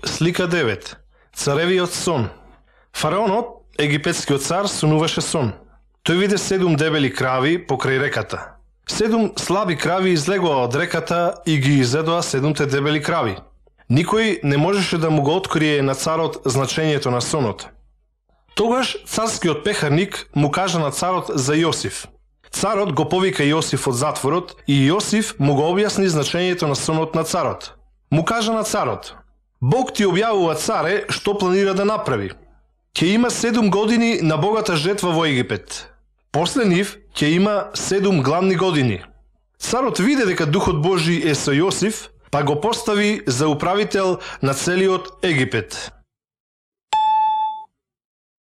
Слика 9. Царевиот сон. Фараонот, египетскиот цар, сонуваше сон. Тој виде 7 дебели крави покрај реката. 7 слаби крави излегоа од реката и ги изедоа 7 дебели крави. Никој не можеше да му го открие на царот значењето на сонот. Тогаш царскиот пехарник му кажа на царот за Јосиф. Царот го повика Јосиф од затворот и Јосиф му го објасни значењето на сонот на царот. Му кажа на царот: Бог ти објавува, царе, што планира да направи. Ќе има 7 години на богата жетва во Египет. После нив ќе има 7 гладни години. Царот виде дека Духот Божи е со Јосиф, па го постави за управител на целиот Египет.